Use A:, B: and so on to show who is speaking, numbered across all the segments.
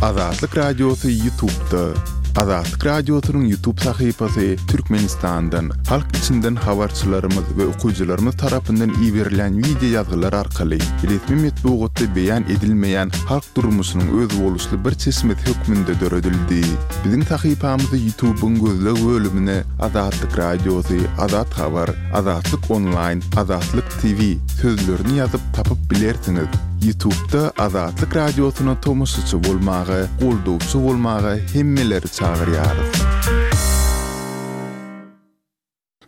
A: Azatlyk Radiosy Ýutubda. Azatlyk Radiosynyň Ýutub sahypasy Türkmenistandan, halk içinden habarçylarymyz we okyjylarymyz tarapyndan iberilýän wideo ýazgylar arkaly resmi metbugatda beýan edilmeýän halk durmuşynyň özboluşly bir çeşmesi hökmünde döredildi. Biziň sahypamyzy Ýutubyň gözleg bölümine Azatlyk Radiosy, Azat Habar, Azatlyk Onlaýn, Azatlyk TV sözlerini ýazyp tapyp bilersiňiz. Ýutubda Azatlyk Radiosyna tomaşaçy bolmaga, goldawçy bolmaga hemmeleri çagyrýarys.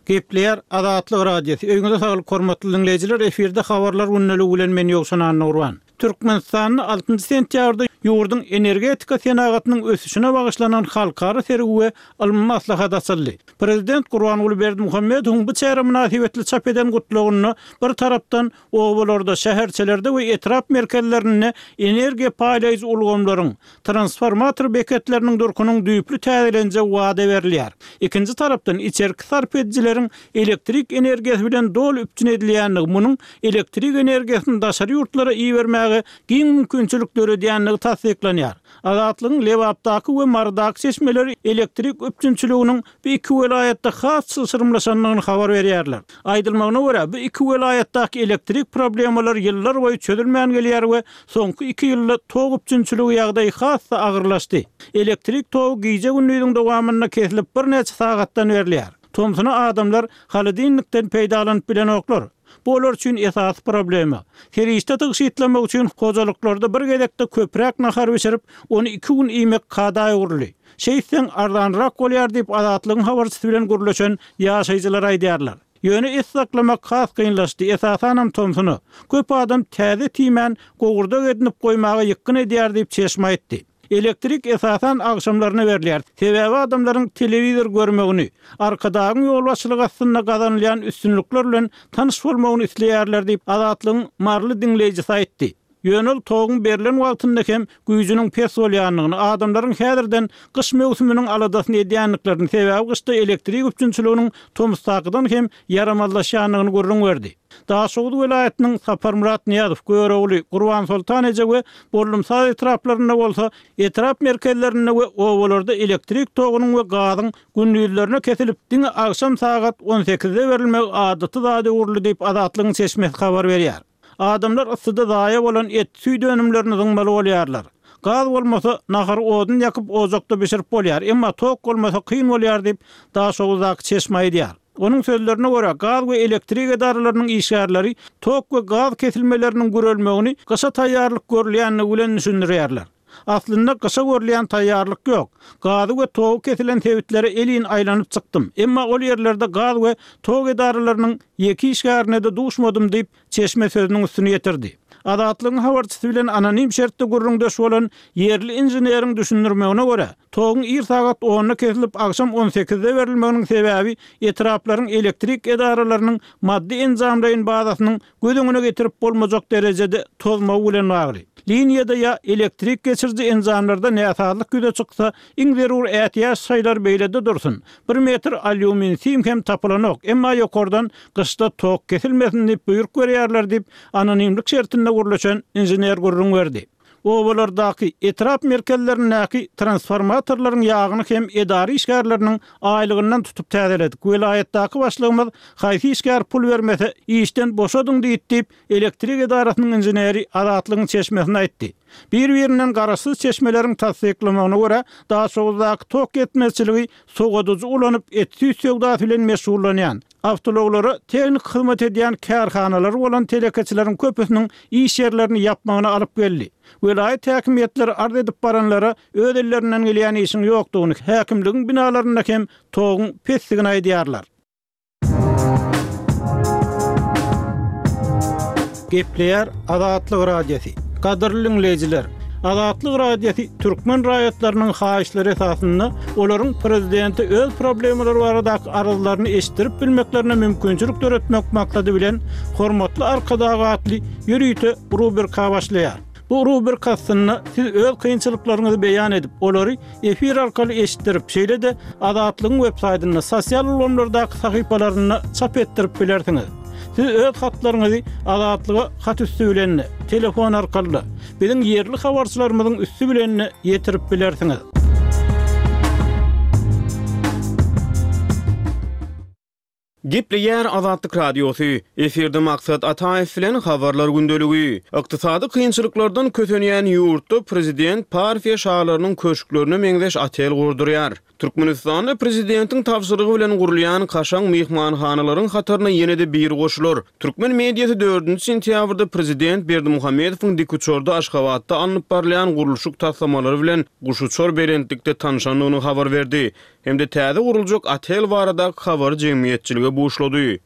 B: Gepleýär Azatlyk Radiosy. Öýüňize saglyk hormatly diňleýjiler, efirde habarlar gündeligi bilen men Ýowşan Annagurban. Türkmenistanda altynjy sentýabrda ýurduň energetika senagatynyň ösüşine bagyşlanan halkara sergi we ylmy maslahat açyldy. Prezident Gurbanguly Berdimuhamedowyň bu çäre mynasybetli çap eden gutlagynda bir tarapdan obalarda, şäherçelerde we etrap merkezlerinde energiýa paýlaýjy ulgamlaryň, transformator beketleriniň durkunyň düýpli täzelenjegi wada berilýär. Ikinji tarapdan, içerki sarp edijileriň elektrik energiýasy bilen doly üpjün edilýändigi, munuň elektrik energiýasyny daşary ýurtlara ibermäge giň mümkinçilik döredýändigi tassyklanýar. Azatlygyň Lebapdaky we Marydaky çeşmeleri elektrik üpjünçiliginiň bu iki welaýatda has çylşyrymlaşandygyny habar berýärler. Aýdylmagyna görä, bu iki welaýatdaky elektrik problemalary ýyllarboýy çözülmän gelýär we soňky iki ýylda tok üpjünçiligi ýagdaýy has-da agyrlaşdy. Elektrik togy gije-gündiziň dowamynda kesilip birnäçe sagatdan berilýär. Tomsuna adamlar holodilnikden peýdalanyp bilenoklar. Bu olar üçin esasy problema. Serişde tygşytlamak üçin hojalyklarda bir gezekde köpräk nahar bişirip, ony iki gün iýmek kada öwrüldi. Şeýtseň, arzanrak bolýar diýip, Azatlygyň habarçysy bilen gürleşen ýaşaýjylar aýdýarlar. Ýöne et saklamak has kynlaşdy, esasanam tomsuna. Köp adam täze tiýmän, gowurdak edinip goýmaga ýykgyn edýär diýip, çeşme aýtdy. Elektrik esasan agşamlaryna berilýär. Sebäbi adamlaryň telewizor görmegini, Arkadagyň ýolbaşçylygy astynda gazanylýan üstünlikler bilen tanyş bolmagyny isleýärler diýip, Azatlygyň maryly diňleýjisi aýtdy. Ýöne ol toguň berlen wagtynda hem güýjüniň pes bolýandygyny, adamlaryň häzirden gyş möwsüminiň aladasyny edýändiklerini, sebäbi gyşda elektrik üpjünçiliginiň tomusdakydan hem ýaramazlaşýandygyny gürrüň berdi. Daşoguz welaýatynyň Saparmyrat Nyýazow, Görogly, Gurbansoltan eje we Bollumsaz etraplarynda bolsa, etrap merkezlerinde we obalarda elektrik togunyň we gazyň gündizlerine kesilip, diňe agşam sagat on sekizde berilmegi adaty zada öwrüldi diýip, Azatlygyň çeşmesi habar berýär. Adamlar yssyda zaýa bolan et, süýt önümlerini zyňmaly bolýarlar. Gaz bolmasa, nahary odun ýakyp ojakda bişirip bolýar, emma tok bolmasa kyn bolýar diýip, Daşoguzdaky çeşme aýdýar. Onuň sözlerine görä, gaz we elektrik edaralarynyň işgärleri tok we gaz kesilmeleriniň gürelmegini gyşa taýýarlyk görülýändigi bilen düşündirýärler. Aslynda gyşa görülýän taýýarlyk ýok. Gazy we togy kesilen sebitlere elin aýlanyp çykdym. Emma ol ýerlerde gaz we tok edaralarynyň ýeke işgärine-de duşmadym diýip, çeşme sözüniň üstüni ýetirdi. Azatlygyň habarçysy bilen anonim şertde gürrüňdeş bolan ýerli inženeriň düşündirmegine görä, toguň ir sagat onda kesilip, agşam on sekizde berilmeginiň sebäbi etraplaryň elektrik edaralarynyň maddy-enjamlaýyn bazasynyň göz öňüne getirip bolmajak derejede tozmagy bilen bagly. Liniýada ýa elektrik geçiriji enjamlarda näsazlyk ýüze çyksa, iň zerur ätiýaç şaýlar beýlede dursun, bir metr alýumin sim hem tapylanok, emma ýokardan gyşda tok kesilmesin diýip buýruk berýärler diýip, anonimlik şertinde gürleşen inžener gürrüň berdi. Obalardaky, etrap merkezlerindäki transformatorlaryň ýagyny hem edara işgärleriniň aýlygyndan tutup täzeledik. Welaýatdaky başlygymyz haýsy işgär pul bermese, işden boşadyň diýdi diýip, elektrik edarasynyň inženeri Azatlygyň çeşmesine aýtdy. Bir-birinden garaşsyz çeşmeleriň tassyklamagyna görä, Daşoguzdaky tok ýetmezçiligi sowadyjy ulanyp et-süýt söwdasy bilen meşgullanýan, Awtoulaglara tehniki hyzmat edýän kärhanalary bolan telekeçileriň köpüsiniň iş ýerlerini ýapmagyna alyp geldi. Welaýat häkimiýetleri arz edip baranlara öz ellerinden gelýän işiň ýokdugyny, häkimligiň binalarynda hem toguň pesdigini aýdýarlar. Gepleýär Azatlyk Radiosy. Gadyrly diňleýjiler! Azatlyk Radiosy türkmen raýatlarynyň haýyşlary esasynda olaryň prezidente öz problemalary baradaky arzlaryny eşitdirip bilmeklerine mümkinçilik döretmek maksady bilen Hormatly Arkadag atly ýörite rubrika başlaýar. Bu rubrika astynda siz öz kynçylyklaryňyzy beýan edip, olary efir arkaly eşitdirip, şeýle-de Azatlygyň websaýtynda, sosial ulgamlardaky sahypalarynda çap etdirip bilersiňiz. Siz öz hatlaryňyzy Azatlyga hat üsti bilen-de, telefon arkaly-da, biziň ýerli habarçylarymyzyň üsti bilen-de ýetirip bilersiňiz.
C: Gepleýär Azatlyk Radiosy, Efirde Maksat Ataýew bilen Habarlar gündeligi. Ykdysady kynçylyklardan kösenýän ýurtda prezident Parfiýa şalarynyň köşklerine meňzeş otel gurdurýar. Türkmenistanda prezidentiň tabşyrygy bilen gurulýan kaşaň myhmanhanalaryň hataryna ýene-de biri goşular. Türkmen mediasy dördünji sentýabrda prezident Berdimuhamedowyň dikuçarda Aşgabatda alnyp barylýan gurluşyk taslamalary bilen guşuçar belentlikde tanşandygyny habar berdi. Hem-de täze guruljak otel baradaky habary jemgyýetçilige buşlady.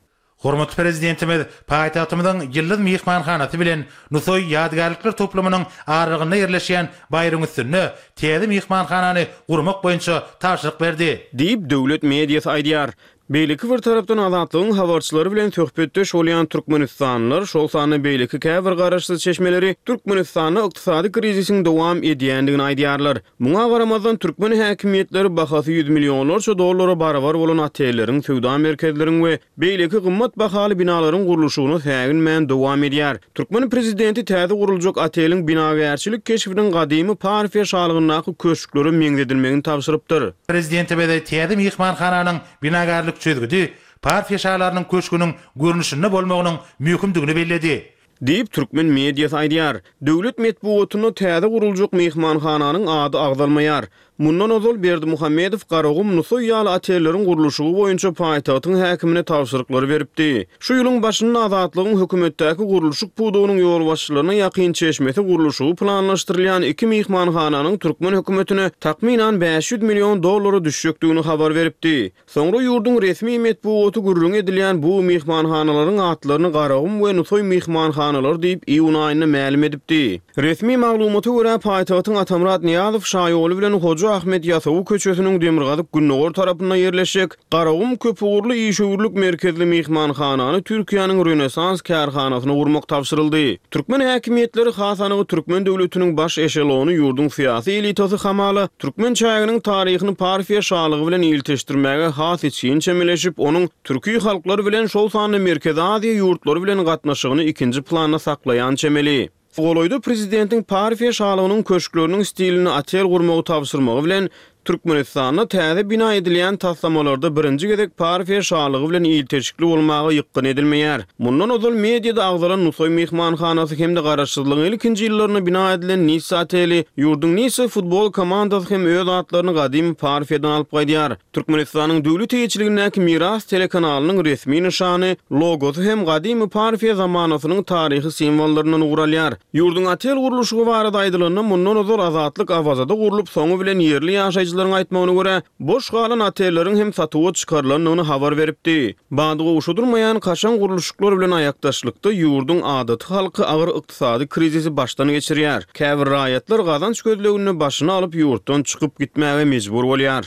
D: Hormatly Prezidentimiz paýtagtymyzyň Ýyldyz myhmanhanasy bilen Nusaý ýadygärlikler toplumynyň aralygynda ýerleşýän baýryň üstünde täze myhmanhanany gurmak boýunça tabşyryk berdi.
C: Diýip, döwlet mediasy aýdýar. Beýleki bir tarapdan, Azatlygyň habarçylary bilen söhbetdeş bolýan türkmenistanlylar, şol sanda beýleki käbir garaşsyz çeşmeleri Türkmenistanda ykdysady krizisiň dowam edýändigini aýdýarlar. Muňa garamazdan, türkmen häkimiýetleri bahasy ýüz millionlarça dollara barabar bolan otelleriň, söwda merkezleriň we beýleki gymmat bahaly binalaryň gurluşygyna säginmän dowam edýär. Türkmen prezidenti täze guruljak oteliň binagärçilik keşbiniň gadymy Parfiýa şalygyndaky köşklere meňzedilmegini tabşyrypdyr.
D: Prezidentimiz täze myhmanhananyň binagärlik çözgüdi Parfiýa şalarynyň köşgüniň görnüşinde bolmagynyň möhümdigini belledi.
C: Diýip, türkmen mediasy aýdýar. Döwlet metbugatynda täze guruljak myhmanhananyň ady agzalmaýar. Mundan ozal Berdimuhamedow Garagum, Nusaý ýaly otelleriň gurluşygy boýunça paýtagtyň häkimine tabşyryklary beripdi. Şu ýylyň başynda Azatlygyň hökümetdäki gurluşyk pudagynyň ýolbaşçylaryna ýakyn çeşmesi gurluşygy planlaşdyrylýan iki myhmanhananyň türkmen hökümetine takmynan 500 million dollara düşjekdigini habar beripdi. Soňra ýurduň resmi metbugaty gürrüňi edilýän bu myhmanhanalaryň atlaryny Garagum we Nusaý myhmanhanalary diýip iýun aýynda mälim edipdi. Resmi maglumata görä, paýtagtyň Atamyrat Nyýazow şaýoly bilen Hoja Ahmet Ýasawy köçesiniň demirgazyk-gündogar tarapynda ýerleşjek Garagum köpugurly işewürlik merkezli myhmanhanany Türkiýäniň Rönesans kärhanasyna gurmak tabşyryldy. Türkmen häkimiýetleri, has anygy türkmen döwletiniň baş eşelony ýurduň syýasy elitasy hamala Türkmen çäginiň taryhyny Parfiýa şalygy bilen ilteşdirmäge has içgin çemeleşip, onuň türki halklar bilen, şol sanda Merkezi Aziýa ýurtlary bilen gatnaşygyny ikinji planda saklaýan çemeli. Golaýda prezidentiň Parfiýa şalygynyň köşkleriniň stilinde otel gurmagy tabşyrmagy bilen, Türkmenistanda täze bina edilýän taslamalarda birinji gezek Parfiýa şalygy bilen ilteşikli bolmaga ýykgyn edilmeýär. Mundan ozal mediada agzalan Nusaý myhmanhanasy hem-de Garaşsyzlygyň ilkinji ýyllarynda bina edilen Nissa oteli, ýurduň Nissa futbol komandasy hem öz atlaryny gadymy Parfiýadan alyp gaýdýar. Türkmenistanyň döwlet eýeçiligindäki Miras telekanalynyň resmi nyşany, logosy hem gadymy Parfiýa zamanasynyň taryhy simwollaryndan ugur alýar. Ýurduň otel gurluşygy barada aýdylanda, mundan ozal Azatlyk Awazada gurlup, soňy bilen ýerli ýaşaýjylaryň aýtmagyna görä, boş galan otelleriň hem satuwa çykarylandygyny habar beripdi. Bady gowşadylmaýan kaşaň gurluşyklar bilen aýakdaşlykda ýurduň adaty halky agyr ykdysady krizisi başdan geçirýär. Käbir raýatlar gazanç gözleginde başyny alyp ýurtdan çykyp gitmäge mejbur bolýar.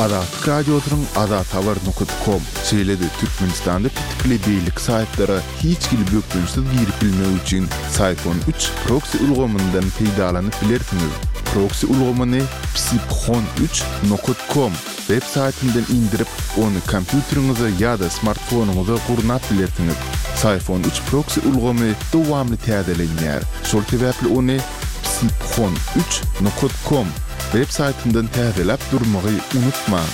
A: Azatlyk Radiosynyň azathabar nokat kom, şeýle-de Türkmenistanda petikli beýleki saýtlara hiç hili bökdençsiz girip bilmek üçin Syphon üç proksi ulgamyndan peýdalanyp bilersiňiz. Proksi ulgamyny psiphon üç nokat kom web saýtyndan indirip, ony kompýuteriňize ýa-da smartfonyňyza gurnap bilersiňiz. Syphon üç proksi ulgamy dowamly täzelenýär, şol sebäpli ony psiphon üç nokat kom web saýtyndan täzeläp durmagy unutmaň.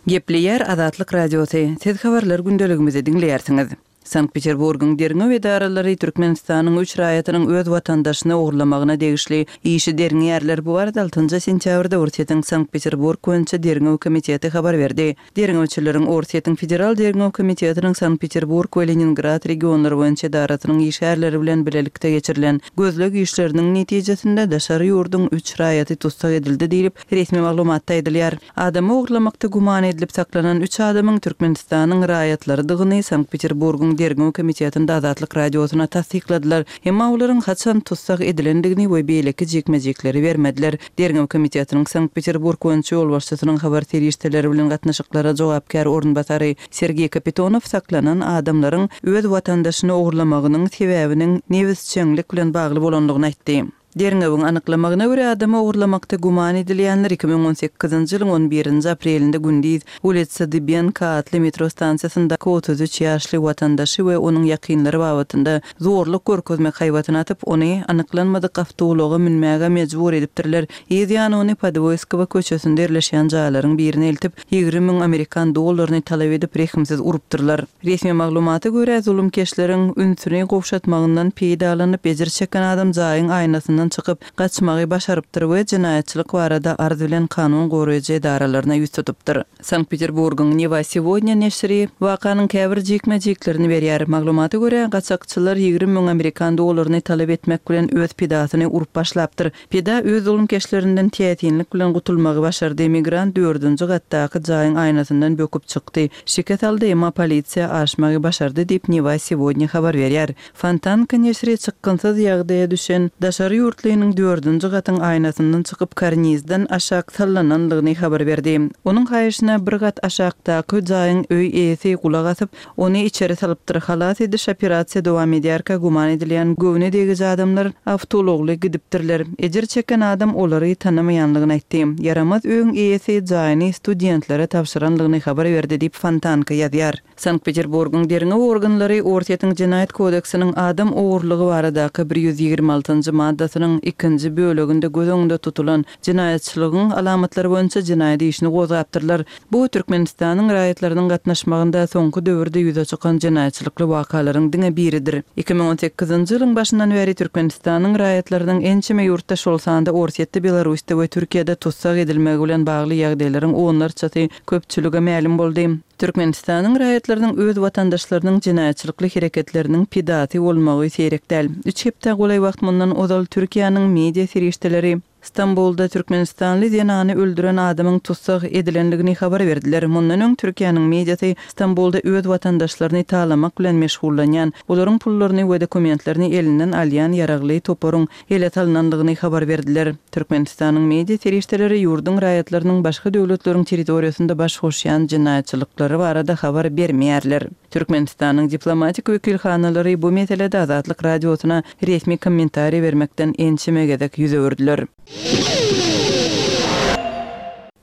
E: Gepleýär Azatlyk Radiosy, Siz habarlar gündeligimizi diňleýärsiňiz. Sankt-Peterburgyň derňew edaralary Türkmenistanyň üç raýatynyň öz watandaşyny ogurlamagyna degişli işi derňeýärler. Bu barada altynjy sentýabrda Orsýetiň Sankt-Peterburg boýunça derňew komiteti habar berdi. Derňewçileriň Orsýetiň Federal derňew komitetiniň Sankt-Peterburg we Leningrad regionlary boýunça edarasynyň işgärleri bilen bilelikde geçirilen gözleg işleriniň netijesinde daşary ýurduň üç raýaty tussag edildi diýlip, resmi maglumatda aýdylýar. Adamy ogurlamakda güman edilip saklanan üç adamyň Türkmenistanyň raýatlarydygyny Sankt-Peterburgyň Derňew komitetinde Azatlyk Radiosyna tassykladylar. Emma olaryň haçan tussag edilendigini we beýleki jikme-jikleri bermediler. Derňew komitetiniň Sankt-Peterburg boýunça ýolbaşçysynyň habar serişdeleri bilen gatnaşyklara jogapkär orunbasary Sergeý Kapitonow saklanan adamlaryň öz watandaşyny ogurlamagynyň sebäbiniň nebisjeňlik bilen bagly bolandygyny aýtdy. Derňewiň anyklamagyna görä, adamy ogurlamakda güman edilýänler 2018-nji ýylyň on birinji aprelinde gündiz Ulitsa Dybenko atly metro stansiýasyndaky 33 ýaşly watandaşy we onuň ýakynlary babatynda zorluk görkezmek haýbatyny atyp, ony anyklanmadyk awtoulaga münmäge mejbur edipdirler. Yz ýany ony Podwoýskowa köçesinde ýerleşýän jaýlaryň birine eltip, 20 müň amerikan dollaryny talap edip, rehimsiz urupdyrlar. Resmi maglumata görä, zulumkeşleriň ünsüni gowşatmagyndan peýdalanyp, ejir çeken adam jaýyň aýnasyndan çykyp, gaçmagy başarypdyr we jenaýatçylyk barada arz bilen kanun goraýjy edaralaryna ýüz tutupdyr. Sankt-Peterburgyň Newa Segodnýa neşiri wakanyň käbir jikme-jiklerini berýär. Maglumata görä, gaçakçylar 20 müň amerikan dollaryny talap etmek bilen öz pidasyny urup başlapdyr. Pida öz zulumkeşlerinden täsinlik bilen gutulmagy başardy, migrant dördünji gatdaky jaýyň aýnasyndan böküp çykdy, şikes aldy, emma polisiýa aşmagy başardy diýip, Newa Segodnýa habar berýär. Fontanka neşiri çykgynsyz ýagdaýa düşen daşary ýurtlynyň dördünji gatyň aýnasyndan çykyp karnizden aşak sallananlygyny habar berdi. Onuň haýyşyna bir gat aşakdaky jaýyň öý eýesi gulak asyp, ony içeri salypdyr. Halas ediş operasiýa dowam edýärkä güman edilýän göwne degiji adamlar awtoulagly gidipdirler. Ejir çeken adam olary tanamaýanlygyny aýtdy. Ýaramaz öýüň eýesi jaýyny studentlere tabşyranlygyny habar berdi diýip Fontanka ýazýar. Sankt-Peterburgyň derňew organlary Orsýetiň Jenaýat kodeksiniň adam ogurlygy baradaky 126-njy maddasynyň ikinji böleginde göz öňünde tutulan jenaýatçylygyň alamatlary boýunça jenaýat işini gozgapdyrlar. Bu Türkmenistanyň raýatlarynyň gatnaşmagynda soňky döwürde ýüze çykan jenaýatçylykly wakalaryň diňe biridir. 2018-nji ýylyň başyndan bäri Türkmenistanyň raýatlarynyň ençeme ýurtda, şol sanda Orsýetde, Belarusda we Türkiýede tussag edilmegi bilen bagly ýagdaýlaryň onlarçasy köpçülige mälim boldy. Türkmenistanyň raýatlarynyň öz watandaşlarynyň jenaýatçylykly hereketleriniň pidasy bolmagy seýrek däl. Üç hepdä golaý wagt mundan ozal Türkiýäniň media serişdeleri Stambulda türkmenistanly zenany öldüren adamyň tussag edilendigini habar berdiler. Mundan öň Türkiýäniň mediasy Stambulda öz watandaşlaryny talamak bilen meşgullanýan, olaryň pullaryny we dokumentlerini elinden alýan ýaragly toparyň ele salnandygyny habar berdiler. Türkmenistanyň media serişdeleri ýurduň raýatlarynyň başga döwletleriň territoriýasynda baş goşýan jenaýatçylyklary barada habar bermeýärler. Türkmenistanyň diplomatik wekilhanalary bu meselede Azatlyk Radiosyna resmi kommentariý bermekden ençeme gezek ýüz öwürdiler.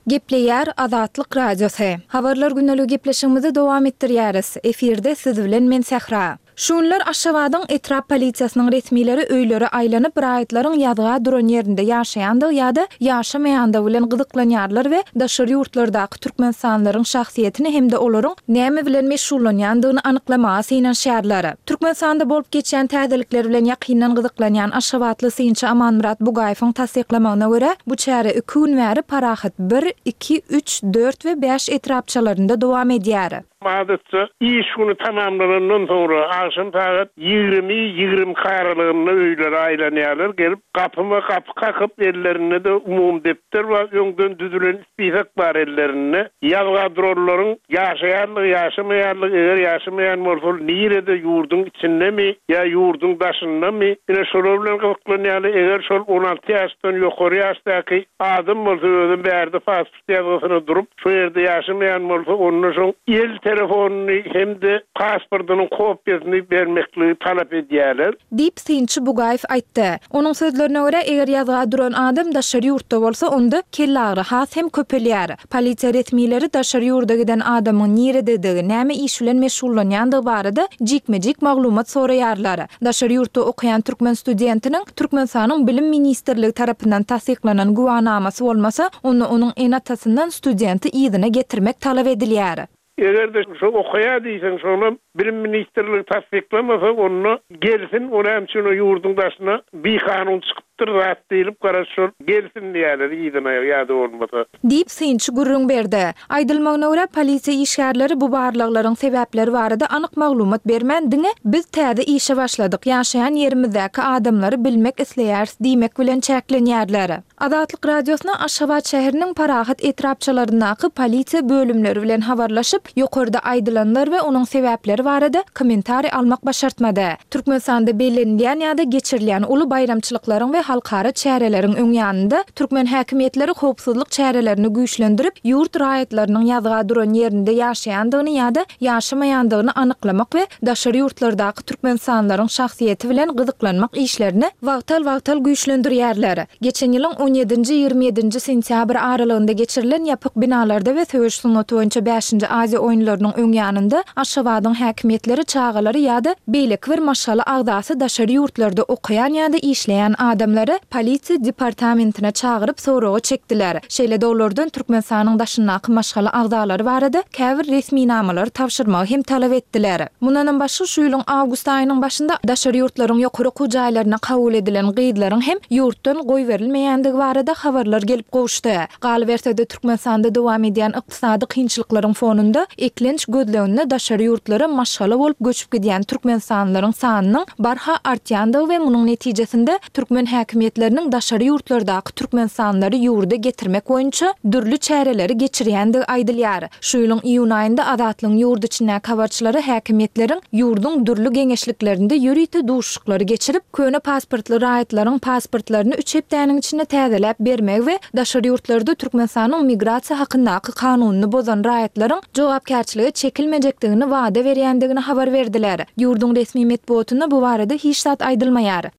F: Gepleýär Azatlyk Radiosy. Habarlar gündeligi gepleşigimizi dowam etdirýäris. Efirde siz bilen men Sähra. Şu günler Aşgabadyň etrap polisiýasynyň resmileri öýlere aýlanyp, raýatlaryň ýazga duran ýerinde ýaşaýandygy ýa-da ýaşamaýandygy bilen gyzyklanýarlar we daşary ýurtlardaky türkmenistanlylaryň şahsyýetini hem-de olaryň näme bilen meşgullanýandygyny anyklamaga synanyşýarlar. Türkmenistanda bolup geçýän täzelikler bilen ýakyndan gyzyklanýan aşgabatly synçy Amanmyrat Bugaýewiň tassyklamagyna görä, bu çäre iki gün bäri Parahat bir, iki, üç, dört we bäş etrapçalarynda dowam edýär.
G: Adatça, iş güni tamamlanandan soňra, agşam sagat 20, 22 aralygynda öýlere aýlanýarlar, gelip, gapyma gapy kakyp, ellerinde-de umumy depder bar, öňden düzülen spisok bar ellerinde. Ýazga duranlaryň ýaşaýanlygy, ýaşamaýanlygy, eger ýaşamaýan bolsa, ol nirede, ýurduň içindemi ýa ýurduň daşyndamy, ine, şolar bilen gyzyklanýarlar, eger şol 16 ýaşdan ýokary ýaşdaky adam bolsa, özem bärde pasport ýazgysyna durup, şo ýerde ýaşamaýan bolsa, onda şoň el telefonyny hem-de pasportynyň kopiýasyny bermekligi talap edýärler.
F: Diýip, synçy Bugaýew aýtdy. Onuň sözlerine görä, eger ýazga duran adam daşary ýurtda bolsa, onda kellagyry has hem köpelýär. Polisiýa resmileri daşary ýurda giden adamyň nirededigi, näme iş bilen meşgullanýandygy barada jikme-jik maglumat soraýarlar. Daşary ýurtda okaýan türkmen studentiniň Türkmenistanyň Bilim ministrligi tarapyndan tassyklanan güwänamasy bolmasa, onda onuň ene-atasyndan studenti yzyna getirmek talap edilýär.
G: Eger-de şo okaýar diýseň, şonam Bilim ministrligi tassyklamasa, onda gelsin, o näme üçin o ýurduň daşyna bikanun çykypdyr zat diýlip, garaz şol gelsin diýýärler yzyna ýa-da bolmasa.
F: Diýip, synçy gürrüň berdi. Aýdylmagyna görä, polisiýa işgärleri bu barlaglaryň sebäpleri barada anyk maglumat bermän, diňe Biz täze işe başladyk, ýaşaýan ýerimizdäki adamlary bilmek isleýäris diýmek bilen çäklenýärler. Azatlyk Radiosyna Aşgabat şäheriniň Parahat etrapçalaryndaky polisiýa bölümleri bilen habarlaşyp, ýokarda aýdylanlar we onuň sebäpleri barada. barada kommentariý almak başartmady. Türkmenistanda bellenilýän ýa-da geçirilýän uly baýramçylyklaryň we halkara çäreleriň öň ýanynda türkmen häkimiýetleri howpsuzlyk çärelerini güýçlendirip, ýurt raýatlarynyň ýazga duran ýerinde ýaşaýandygyny ýa-da ýaşamaýandygyny anyklamak we daşary ýurtlardaky türkmenistanlylaryň şahsyýeti bilen gyzyklanmak işlerini wagtal-wagtal güýçlendirýärler. Geçen ýylyň on ýedinji, 27-nji sentýabr aralygynda geçirilen ýapyk binalarda we söweş sungaty boýunça bäşinji Aziýa oýunlarynyň öň ýanynda Aşgabadyň häkimiýetleri çagalary ýa-da beýleki bir maşgala agzasy daşary ýurtlarda okaýan ýa-da işleýän adamlary polisiýa departamentine çagyryp soraga çekdiler. Şeýle-de olardan Türkmenistanyň daşyndaky maşgala agzalary barada käbir resminamalary tabşyrmagy hem talap etdiler. Mundanam başga, şu ýylyň awgust aýynyň başynda daşary ýurtlaryň ýokary okuw jaýlaryna kabul edilen gyzlaryň hem ýurtdan goýberilmeýändigi barada habarlar gelip gowuşdy. Galyberse-de, Türkmenistanda dowam edýän ykdysady kynçylyklaryň fonunda eklenç gözleginde daşary ýurtlara maşgala bolup göçüp gidýän türkmenistanlylaryň sanynyň barha artýandygy we munuň netijesinde türkmen häkimiýetleriniň daşary ýurtlardaky türkmenistanlylary ýurda getirmek boýunça dürli çäreleri geçirýändigi aýdylýar. Şu ýylyň iýun aýynda Azatlygyň ýurt içindäki habarçylary häkimiýetleriň ýurduň dürli geňeşliklerinde ýörite duşuşyklary geçirip, köne pasportly raýatlaryň pasportlaryny üç hepdäniň içinde täzeläp bermegi we daşary ýurtlarda Türkmenistanyň migrasiýa hakyndaky kanunyny bozan raýatlaryň jogapkärçilige çekilmejekdigini wada berýändigini habar berdiler. Ýurduň resmi metbugatynda bu barada hiç zat aýdylmaýar.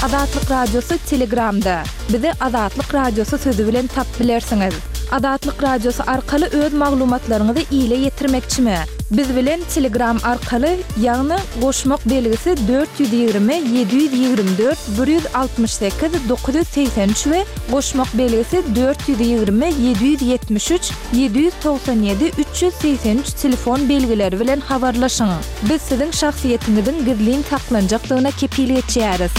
F: Azatlyk Radiosy Telegramda. Bizi Azatlyk Radiosy sözi bilen tapyp bilersiňiz. Azatlyk Radiosy arkaly öz maglumatlaryňyzy ile ýetirmekçimi? Biz bilen Telegram arkaly, ýagny goşmak belgisi 420 724 168 983 we goşmak belgisi 420 773 797 383 telefon belgileri bilen habarlaşyň. Biz siziň şahsyýetiňiziň gizlin saklanjakdygyna kepil geçýäris.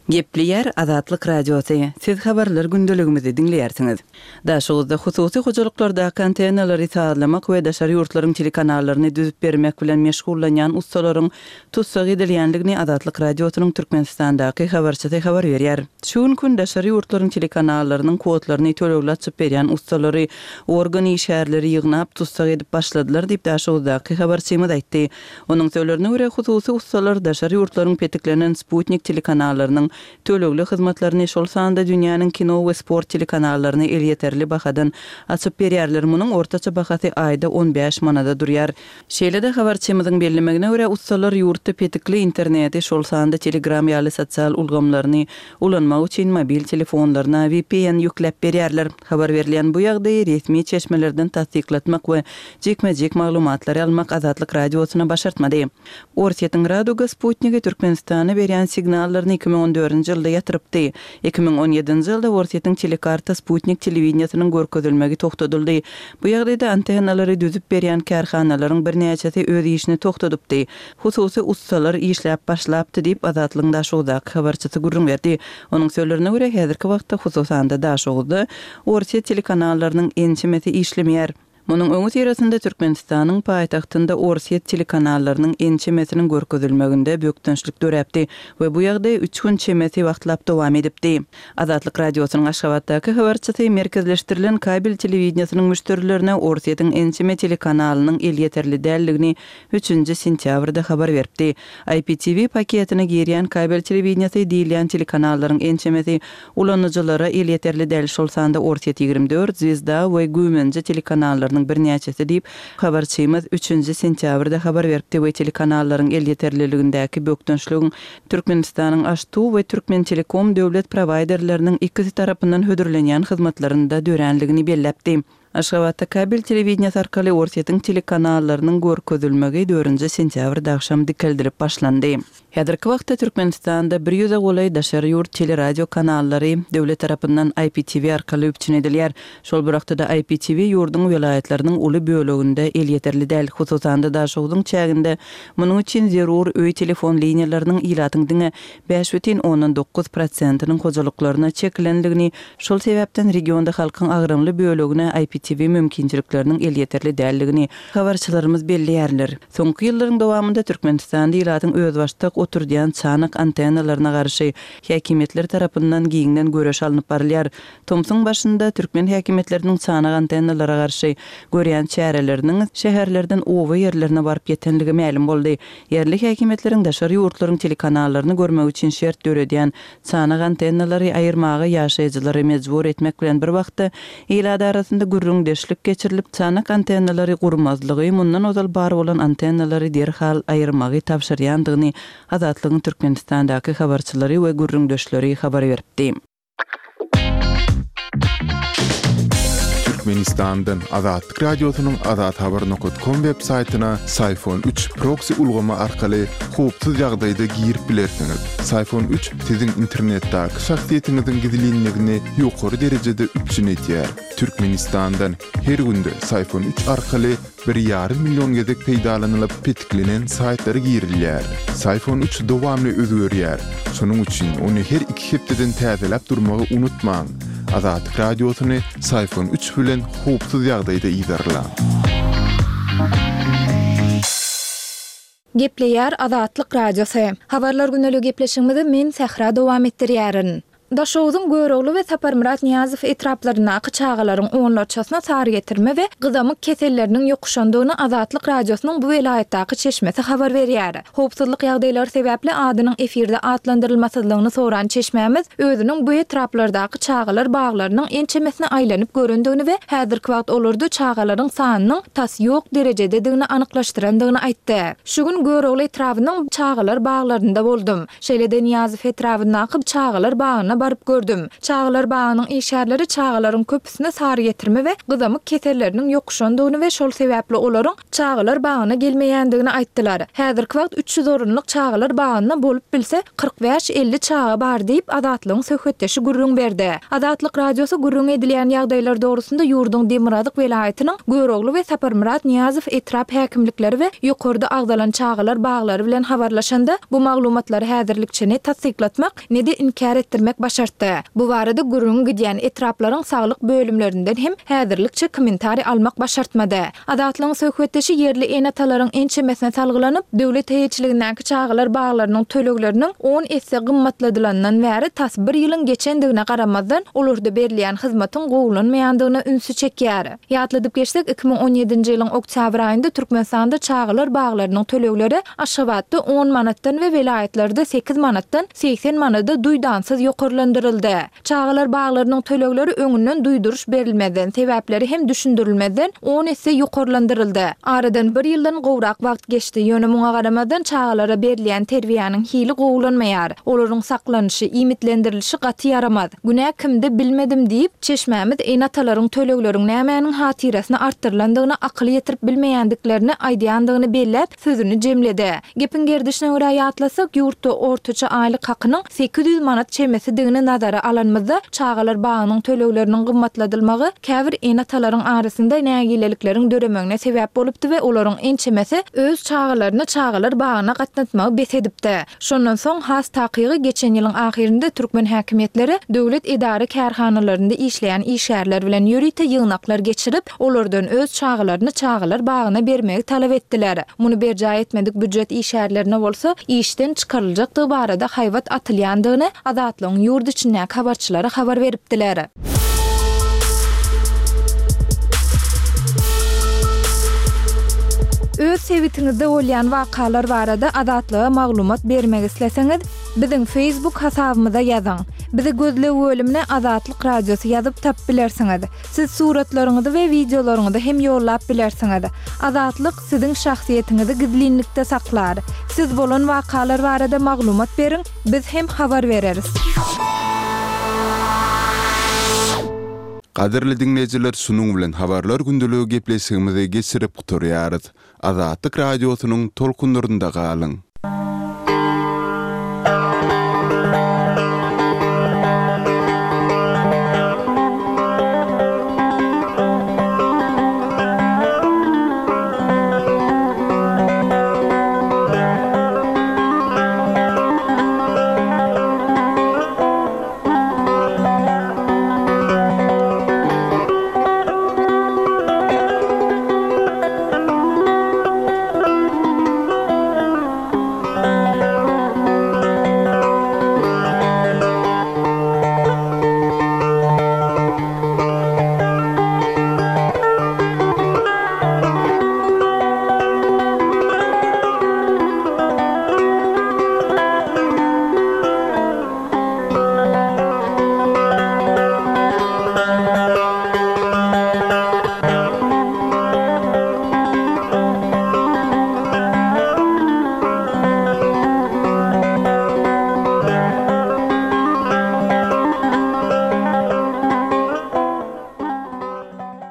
E: Gepleýär Azatlyk Radiosy, Siz habarlar gündeligimizi diňleýärsiňiz. Daşoguzda hususy hojalyklardaky antennalary sazlamak we daşary ýurtlaryň telekanallaryny düzüp bermek bilen meşgullanýan ussalaryň tussag edilýändigini Azatlyk Radiosynyň Türkmenistandaky habarçysy habar berýär. Şu günki gün daşary ýurtlaryň telekanallarynyň kodlaryny tölegli açyp berýän ussalary organ işgärleri ýygnap, tussag edip başladylar diýip, Daşoguzdaky habarçymyz aýtdy. Onuň sözlerine görä, hususy ussalar daşary ýurtlaryň petiklenen sputnik telekanallarynyň tölegli hyzmatlaryny, şol sanda dünýäniň kino we sport telekanallaryny elýeterli bahadan açyp berýärler, munuň ortaça bahasy aýda 15 manada durýar. Şeýle-de, habarçymyzyň bellemegine görä, ussalar ýurtda petikli interneti, şol sanda Telegram ýaly sosial ulgamlaryny ulanmak üçin mobil telefonlaryna vpn ýükläp berýärler. Habar berilýän bu ýagdaýy resmi çeşmelerden tassyklatmak we jikme-jik maglumatlary almak Azatlyk Radiosyna başartmady. Orsýetiň Raduga sputnigi Türkmenistana berýän signallaryny 2014-nji ýylda ýatyrypdy. 2017-nji ýylda Orsýetiň Telekarta sputnik telewideniýesiniň görkezilmegi togtadyldy. Bu ýagdaýda antennalary düzüp berýän kärhanalaryň birnäçesi öz işini togtadypdy. Hususy ussalar işläp başlapdy diýip, Azatlygyň Daşoguzdaky habarçysy gürrüň berdi. Onuň sözlerine görä, häzirki wagtda, hususan-da, Daşoguzda orsýet telekanallarynyň ençemesi işlemeýär. Munuň öňüsyrasynda Türkmenistanyň paýtagtynda orsýet telekanallarynyň ençemesiniň görkezilmeginde bökdençlik döräpdi we bu ýagdaý üç gün çemesi wagtlap dowam edipdi. Azatlyk Radiosynyň Aşgabatdaky habarçysy merkezleşdirilen kabel telewideniýesiniň müşderilerine Orsýetiň ençeme telekanalynyň elýeterli däldigini üçünji sentýabrda habar beripdi. IPTV paketine girýän kabel telewideniýesi diýilýän telekanallaryň ençemesi ulanyjylara elýeterli däl, şol sanda Orsýet 24, Zwezda we Güýmenje telekanallarynyň birnäçesi diýip, habarçymyz üçünji sentýabrda habar beripdi we telekanallaryň elýeterliligindäki bökdençligiň Türkmenistanyň AŞTU we Türkmentelekom döwlet prowaýderleriniň ikisi tarapyndan hödürlenýän hyzmatlarynda döränligini belläpdi. Aşgabatda kabel telewideniýesi arkaly Orsýetiň telekanallarynyň görkezilmegi dördünji sentýabrda agşam dikeldilip başlandy. Häzirki wagtda Türkmenistanda bir ýüze golaý daşary ýurt teleradio kanallary döwlet tarapyndan IPTV arkaly üpjün edilýär. Şol bir wagtda-da IPTV ýurduň welaýatlarynyň uly böleginde elýeterli däl, hususan-da Daşogzuň çäginde munuň üçin zerur öý telefon liniýalarynyň ilatyň diňe 5,9 prosentiniň hojalyklaryna çekilendigini, şol sebäpden regionda halkyň agramly bölegine IPTV. IPTV mümkinçilikleriniň elýeterli däldigini habarçylarymyz belleýärler. Soňky ýyllaryň dowamynda Türkmenistanda ilatyň özbaşdak oturdýan çanak antennalaryna garşy häkimiýetler tarapyndan giňden göreş alnyp barylýar. Tomsuň başynda türkmen häkimiýetleriniň çanak antennalara garşy görýän çäreleriniň şäherlerden oba ýerlerine baryp ýetenligi mälim boldy. Ýerli häkimiýetleriň daşary ýurtlaryň telekanallaryny görmek üçin şert döredýän çanak antennalary aýyrmaga ýaşaýjylary mejbur etmek bilen bir wagtda, ilat arasynda gürrüňdeşlik geçirilip, çanak antennalary gurmazlygy, mundan ozal bar bolan antennalary derhal aýyrmagy tabşyrýandygyny Azatlygyň Türkmenistandaky habarçylary we gürrüňdeşleri habar beripdi.
A: Türkmenistandan Azatlyk Radiosynyň azathabar nokat kom web saýtyna Syfon üç proksi ulgamy arkaly howpsuz ýagdaýda girip bilersiňiz. Syfon üç siziň internetdäki şahsyýetiňiziň gizlinligini ýokary derejede üpjün edýär. Türkmenistandan her günde Syfon üç arkaly Bir ýarym million gezek peýdalanylyp petiklenen saýtlara girilýär. Syfon üç dowamly özgerýär. Şonuň üçin ony her iki hepdeden täzeläp durmagy unutmaň. Azatlyk Radiosyny Syfon üç bilen howpsuz ýagdaýda yzarlaň.
F: Gepleýär Azatlyk Radiosy. Habarlar gündeligi gepleşigimizi men Sähra dowam etdirýärin. Daşoguzyň Görogly we Saparmyrat Nyýazow etraplaryndaky çagalaryň onlarçasyna sarygetirme we gyzamyk keselleriniň ýokuşandygyny Azatlyk Radiosynyň bu welaýatdaky çeşmesi habar berýär. Howpsuzlyk ýagdaýlary sebäpli adynyň efirde atlandyrylmasyzlygyny soran çeşmämiz özüniň bu etraplardaky çagalar baglarynyň ençemesine aýlanyp görendigini we häzirki wagt olarda çagalaryň sanynyň tas ýok derejededigini anyklaşdyrandygyny aýtdy. Şu gün Görogly etrabynyň çagalar baglarynda boldum. Şeýle-de Nyýazow etrabyndaky çagalar bagyna baryp gördüm. Çagalar bagynyň işgärleri çagalaryň köpüsine sarygetirme we gyzamyk keselleriniň ýokuşandygyny we şol sebäpli olaryň çagalar bagyna gelmeýändigini aýtdylar. Häzirki wagt 300 orunlyk çagalar bagynda bolup bilse 45-50 çaga bar diýip, Azatlygyň söhbetdeşi gürrüň berdi. Azatlyk Radiosy gürrüňi edilýän ýagdaýlar dogrusynda ýurduň demirgazyk welaýatynyň Görogly we Saparmyrat Nyýazow etrap häkimlikleri we ýokarda agzalan çagalar baglary bilen habarlaşanda, bu maglumatlary häzirlikçe ne tassyklatmak, ne-de inkär etdirmek başartdy. Bu barada gürrüňi gidýän etraplaryň saglyk bölümlerinden hem häzirlikçe kommentariý almak başartmady. Azatlygyň söhbetdeşi ýerli ene-atalaryň ençemesine salgylanyp, döwlet eýeçiligindäki çagalar baglarynyň tölegleriniň on esse gymmatladylanyndan bäri tas bir ýylyň geçendigine garamazdan, olarda berilýän hyzmatyň gowulanmaýandygyna ünsi çekýär. Ýatladyp geçsek, 2017-nji ýylyň oktýabr aýynda Türkmenistanda çagalar baglarynyň tölegleri Aşgabatda on manatdan we welaýatlarda sekiz manatdan 80 manada duýdansyz ýokarlandyryldy. Çagalar baglarynyň tölegleri öňünden duýduryş berilmezden, sebäpleri hem düşündirilmezden on esse ýokarlandyryldy. Aradan bir ýyldan gowrak wagt geçdi, ýöne muňa garamazdan çagalara berilýän terbiýäniň hili gowulanmaýar. Olaryň saklanyşy, iýmitlendirilişi gaty ýaramaz. Günä kimde bilmedim diýip, çeşmämiz ene-atalaryň tölegleriň nämäniň hatyrasyna artdyrylandygyna akyl ýetirip bilmeýändiklerini aýdýandygyny belläp, sözüni jemledi. Gepiň gerdişine görä ýatlasak, ýurtda ortaça aýlyk hakynyň 800 manat çemesidigini nazara alanymyzda, çagalar bagynyň tölegleriniň gymmatladylmagy käbir ene-atalaryň arasynda nägilelikleriň döremegine sebäp bolupdy we olaryň ençemesi öz çagalaryny çagalar bagyna gatnatmagy bes edipdi. Şondan soň, has takygy geçen ýylyň ahyrynda türkmen häkimiýetleri döwlet edara-kärhanalarynda işleýän işgärler bilen ýörite ýygnaklar geçirip, olardan öz çagalaryny çagalar bagyna bermegi talap etdiler. Muny berjaý etmedik býujet işgärlerine bolsa işden çykaryljakdygy barada haýbat atylýandygyny Azatlygyň ýurt içindäki habarçylary habar beripdiler. Öz sebitiňizde bolýan wakalar barada Azatlyga maglumat bermek isleseňiz, biziň Facebook hasabymyza ýazyň. Bizi gözleg bölümine Azatlyk Radiosy ýazyp tapyp bilersiňiz. Siz suratlaryňyzy we wideolaryňyzy hem ýollap bilersiňiz. Azatlyk siziň şahsyýetiňizi gizlinlikde saklar. Siz bolan wakalar barada maglumat beriň, biz hem habar bereris.
A: Gadyrly diňleýjiler şunuň bilen habarlar gündeligi gepleşigimizi geçirip gutarýarys. Azatlyk Radiosynyň tolkunlarynda galyň.